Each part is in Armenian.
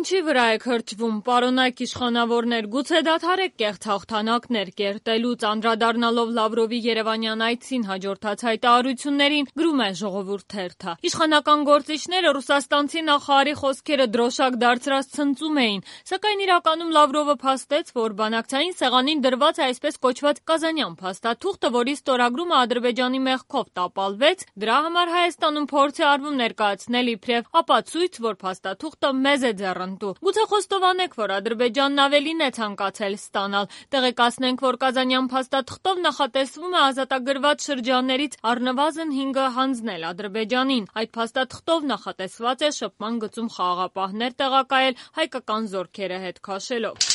Ինչի վրա եք հրճվում, պարոնայք իշխանավորներ, գուցե դադարեք կեղծ հաղթանակներ կերտելուց, անդրադառնալով Լավրովի երևանյան այցին հաջորդած հայտարարություններին, գրում է Ժողովուրդ թերթը։ Իշխանական գործիչները ռուսաստանցի նախարարի խոսքերը դրոշակ դարձրած ցնծում էին, սակայն իրականում Լավրովը փաստեց, որ բանակցային սեղանին դրված է այսպես կոչված Կազանյան փաստաթուղթը, որի ստորագրումը Ադրբեջանի մեղքով տապալվեց, դրա համար Հայաստանում փորձ է արվում ներկայացնել իբրև ապացույց, որ փաստաթուղթը մեզ է ձեռնտու։ Գուցե խոստովանեք, որ Ադրբեջանն ավելին է ցանկացել ստանալ։ Տեղեկացնենք, որ Կազանյան փաստաթղթով նախատեսվում է ազատագրված շրջաններից առնվազն 5-ը հանձնել Ադրբեջանին։ Այդ փաստաթղթով նախատեսված է շփման գծում խաղաղապահներ տեղակայել հայկական զորքերը հետ քաշելով։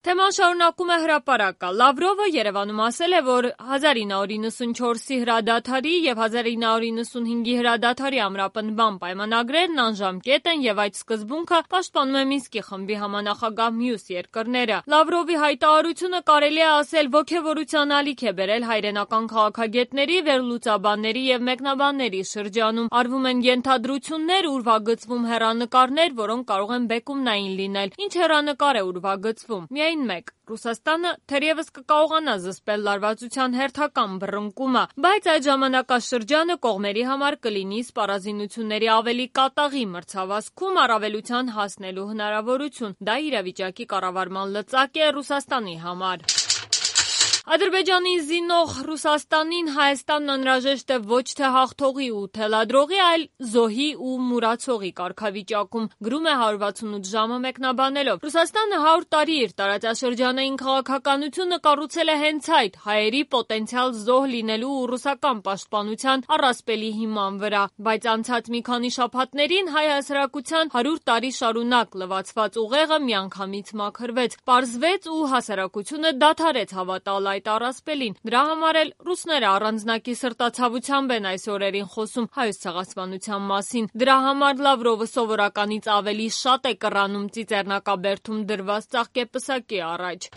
Թեման շարունակում է Հրապարակը։ Լավրովը Երևանում ասել է, որ 1994-ի հրադադարի եւ 1995-ի հրադադարի ամրապնդման պայմանագրերն անժամկետ են եւ այդ սկզբունքը պաշտպանում է Մինսկի խմբի համանախագահ մյուս երկրները։ Լավրովի հայտարարությունը կարելի է ասել ոգևորության ալիք է բերել հայրենական քաղաքագետների, վերլուծաբանների եւ մեկնաբանների շրջանում։ Արվում են ենթադրություններ, ուրվագծվում հեռանկարներ, որոնք կարող են բեկումնային լինել։ Ինչ հեռանկար է ուրվագծվում։ Միայն մեկ. Ռուսաստանը թերևս կկարողանա զսպել լարվածության հերթական բռնկումը, բայց այդ ժամանակաշրջանը կողմերի համար կլինի սպառազինությունների ավելի կատաղի մրցավազքում առավելության հասնելու հնարավորություն։ Դա իրավիճակի կառավարման լծակ է Ռուսաստանի համար։ Ադրբեջանի զինող Ռուսաստանին Հայաստանն անհրաժեշտ է ոչ թե հաղթողի ու թելադրողի, այլ զոհի ու մուրացողի կարգավիճակում, գրում է 168 ժամը մեկնաբանելով։ Ռուսաստանը 100 տարի իր տարածաշրջանային քաղաքականությունը կառուցել է հենց այդ հայերի պոտենցիալ զոհ լինելու ու ռուսական պաշտպանության առասպելի հիման վրա, բայց անցած մի քանի շաբաթներին հայ հասարակության 100 տարի շարունակ լվացված ուղեղը միանգամից մաքրվեց, պարզվեց ու հասարակությունը դադարեց հավատալ այդ առասպելին։ Դրա համար էլ ռուսները առանձնակի սրտացավությամբ են այս օրերին խոսում հայոց ցեղասպանության մասին։ Դրա համար Լավրովը սովորականից ավելի շատ է կռանում ծիծեռնակաբերդում դրված ծաղկեպսակի առաջ։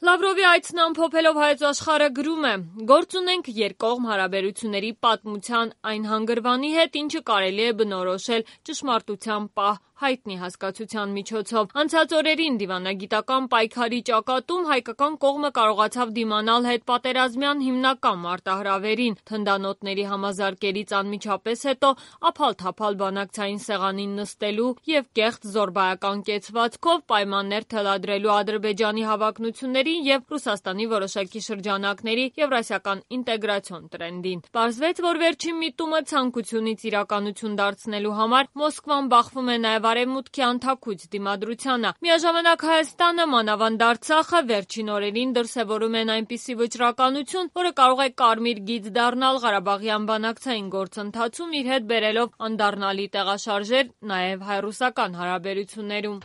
Լավրովի այցն ամփոփելով Հայոց Աշխարհը գրում է. «Գործ ունենք երկկողմ հարաբերությունների պատմության այն հանգրվանի հետ, ինչը կարելի է բնորոշել ճշմարտության պահ հայտնի հասկացության միջոցով։ Անցած օրերին դիվանագիտական պայքարի ճակատում հայկական կողմը կարողացավ դիմանալ հետպատերազմյան հիմնական մարտահրավերին։ Թնդանոթների համազարկերից անմիջապես հետո ափալ-թափալ բանակցային սեղանին նստելու եւ կեղծ զորբայական կեցվածքով պայմաններ թելադրելու Ադրբեջանի հավակնություններին եւ Ռուսաստանի որոշակի շրջանակների եվրասիական ինտեգրացիոն տրենդին։ Պարզվեց, որ վերջին միտումը ցանկությունից իրականություն դարձնելու համար Մոսկվան բախվում է նաեւ Արևմուտքի անթաքույց դիմադրությանը։ Միաժամանակ Հայաստանը, մանավանդ Արցախը վերջին օրերին դրսևորում են այնպիսի վճռականություն, որը կարող է կարմիր գիծ դառնալ Ղարաբաղյան բանակցային գործընթացում, իր հետ բերելով անդառնալի տեղաշարժեր նաեւ հայ-ռուսական հարաբերություններում։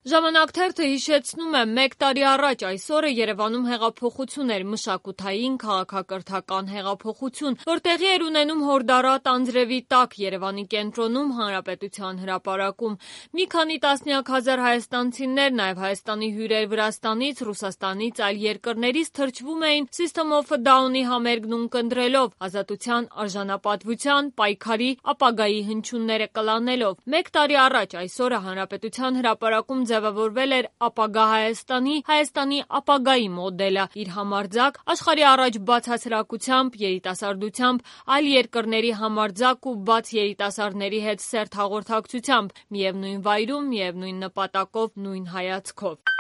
Ժամանակ թերթը հիշեցնում է, 1 տարի առաջ այս օրը Երևանում հեղափոխություն էր, մշակութային, քաղաքակրթական հեղափոխություն, որ տեղի էր ունենում հորդառատ անձրևի տակ Երևանի կենտրոնում Հանրապետության հրապարակում։ Մի քանի տասնյակ հազար հայաստանցիներ, նաև Հայաստանի հյուրեր Վրաստանից, Ռուսաստանից, այլ երկրներից թրջվում էին System of a Down-ի համերգն ունկնդրելով, ազատության, արժանապատվության, պայքարի, ապագայի հնչյունները կլանելով։ 1 տարի առաջ այս օրը Հանրապետության հրապարակում ձևավորվել էր ապագա Հայաստանի ապագայի մոդելը, իր համարձակ, աշխարհի առաջ բաց հասարակությամբ, երիտասարդությամբ, այլ երկրների համարձակ ու բաց երիտասարդների հետ սերտ հաղորդակցությամբ, միևնույն վայրում, միևնույն նպատակով, նույն հայացքով։